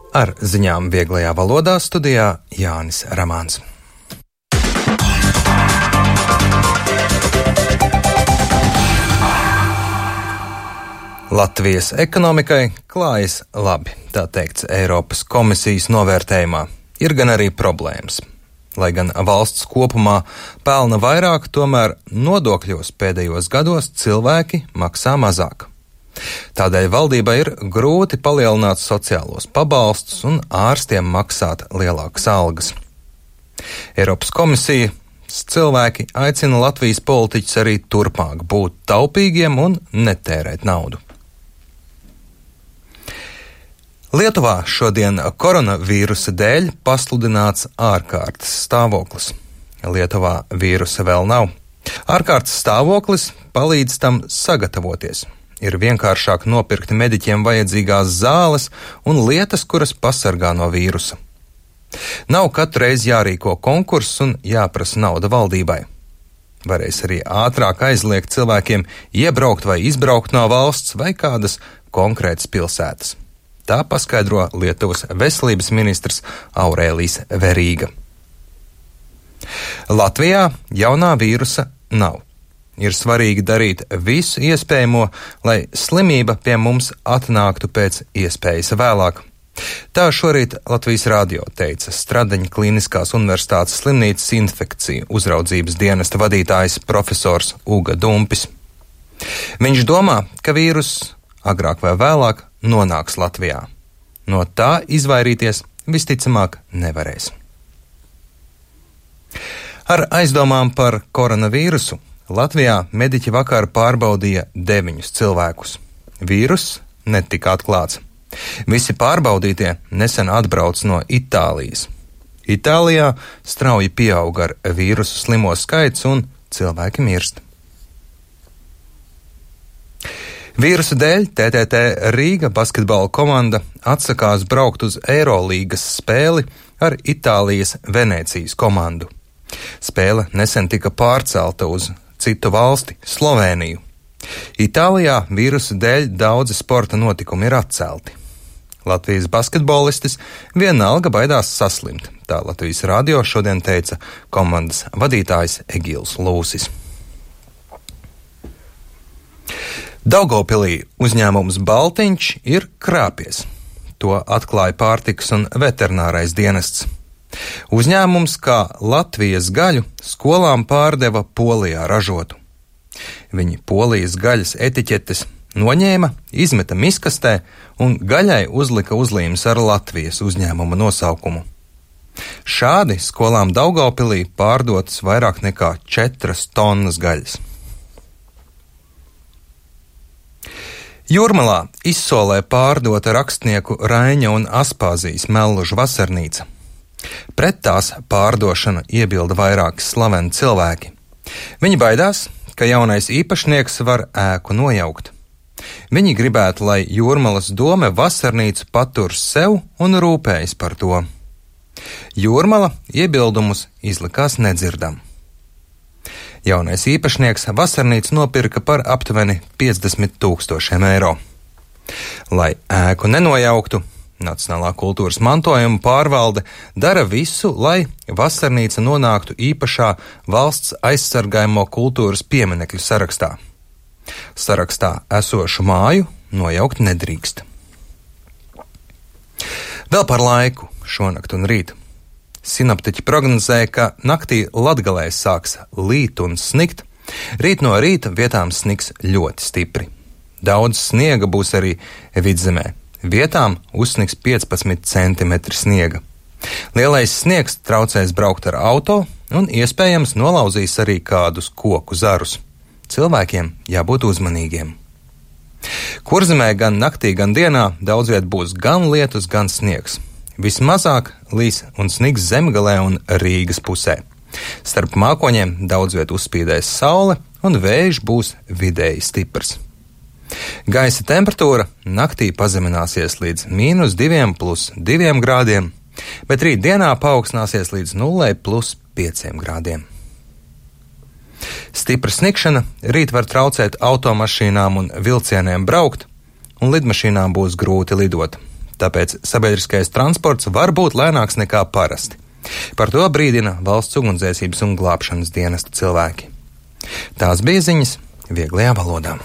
Ar ziņām vieglajā valodā studijā Jānis Ramāns. Latvijas ekonomikai klājas labi, tā teikts Eiropas komisijas novērtējumā. Ir gan arī problēmas. Lai gan valsts kopumā pelna vairāk, tomēr nodokļos pēdējos gados cilvēki maksā mazāk. Tādēļ valdībai ir grūti palielināt sociālos pabalstus un ārstiem maksāt lielākas algas. Eiropas komisija cilvēki aicina Latvijas politiķus arī turpmāk būt taupīgiem un netērēt naudu. Lietuvā šodien koronavīrusa dēļ pasludināts ārkārtas stāvoklis. Lietuvā vīrusa vēl nav. Ārkārtas stāvoklis palīdz tam sagatavoties. Ir vienkāršāk nopirkt mediķiem vajadzīgās zāles un lietas, kuras pasargā no vīrusa. Nav katru reizi jārīko konkurss un jāprasa nauda valdībai. Varēs arī ātrāk aizliegt cilvēkiem iebraukt vai izbraukt no valsts vai kādas konkrētas pilsētas. Tā paskaidro Lietuvas veselības ministrs Aurēlijs Verīga. Latvijā jaunā vīrusa nav. Ir svarīgi darīt visu iespējamo, lai slimība pie mums atnāktu pēc iespējas vēlāk. Tā šorīt Latvijas radio teica Stradaņa Kliniskās universitātes slimnīcas infekciju uzraudzības dienesta vadītājs profesors Uga Dumpis. Viņš domā, ka vīrus agrāk vai vēlāk nonāks Latvijā. No tā izvairīties visticamāk nevarēs. Ar aizdomām par koronavīrusu Latvijā mediķi vakar pārbaudīja 9 cilvēkus. Vīrus netika atklāts. Visi pārbaudītie nesen atbrauc no Itālijas. Itālijā strauji pieaug ar vīrusu slimo skaits un cilvēki mirst. Vīrusa dēļ TTT Rīga basketbola komanda atsakās braukt uz Eirolīgas spēli ar Itālijas Venēcijas komandu. Spēle nesen tika pārcelta uz citu valsti, Slovēniju. Itālijā vīrusa dēļ daudzi sporta notikumi ir atcelti. Latvijas basketbolistis vienalga baidās saslimt, tā Latvijas radio šodien teica komandas vadītājs Egils Lūsis. Daugavpilī uzņēmums Baltiņš ir krāpies. To atklāja pārtikas un veterinārais dienests. Uzņēmums kā Latvijas gaļu skolām pārdeva Polijā ražotu. Viņi Polijas gaļas etiķetes noņēma, izmeta miskastē un gaļai uzlika uzlīmes ar Latvijas uzņēmuma nosaukumu. Šādi skolām Daugavpilī pārdotas vairāk nekā 4 tonnas gaļas. Jūrmalā izsolē pārdota rakstnieku Raiņa un Aspāzijas Mellužu vasarnīca. Pret tās pārdošanu iebilda vairāki slaveni cilvēki. Viņi baidās, ka jaunais īpašnieks var ēku nojaukt. Viņi gribētu, lai Jūrmalas dome vasarnīcu patur sev un rūpējas par to. Jūrmala iebildumus izlikās nedzirdam. Jaunais īpašnieks vasarnīcu nopirka par aptuveni 50 000 eiro. Lai ēku nenojauktu, Nacionālā kultūras mantojuma pārvalde dara visu, lai vasarnīca nonāktu īpašā valsts aizsargājamo kultūras pieminekļu sarakstā. Sarakstā esošu māju nojaukt nedrīkst. Vēl par laiku šonakt un rīt. Sinoptiķi prognozē, ka naktī Latgalē sāks līt un snikt. Rīt no rīta vietām sniks ļoti stipri. Daudz sniega būs arī vidzemē. Vietām uzsniks 15 cm sniega. Lielais sniegs traucēs braukt ar auto un iespējams nolauzīs arī kādus koku zarus. Cilvēkiem jābūt uzmanīgiem. Kurzemē gan naktī, gan dienā daudz viet būs gan lietus, gan sniegs. Vismazāk līs un sniks Zemgalē un Rīgas pusē. Starp mākoņiem daudz viet uzspīdēs saule un vējš būs vidēji stiprs. Gaisa temperatūra naktī pazemināsies līdz -2 + 2 grādiem, bet rīt dienā paaugstināsies līdz 0 + 5 grādiem. Stipra snikšana rīt var traucēt automašīnām un vilcieniem braukt, un lidmašīnām būs grūti lidot. tāpēc sabiedriskais transports var būt lēnāks nekā parasti. Par to brīdina valsts ugunsdzēsības un glābšanas dienesta cilvēki. Tās bija ziņas vieglajā valodā.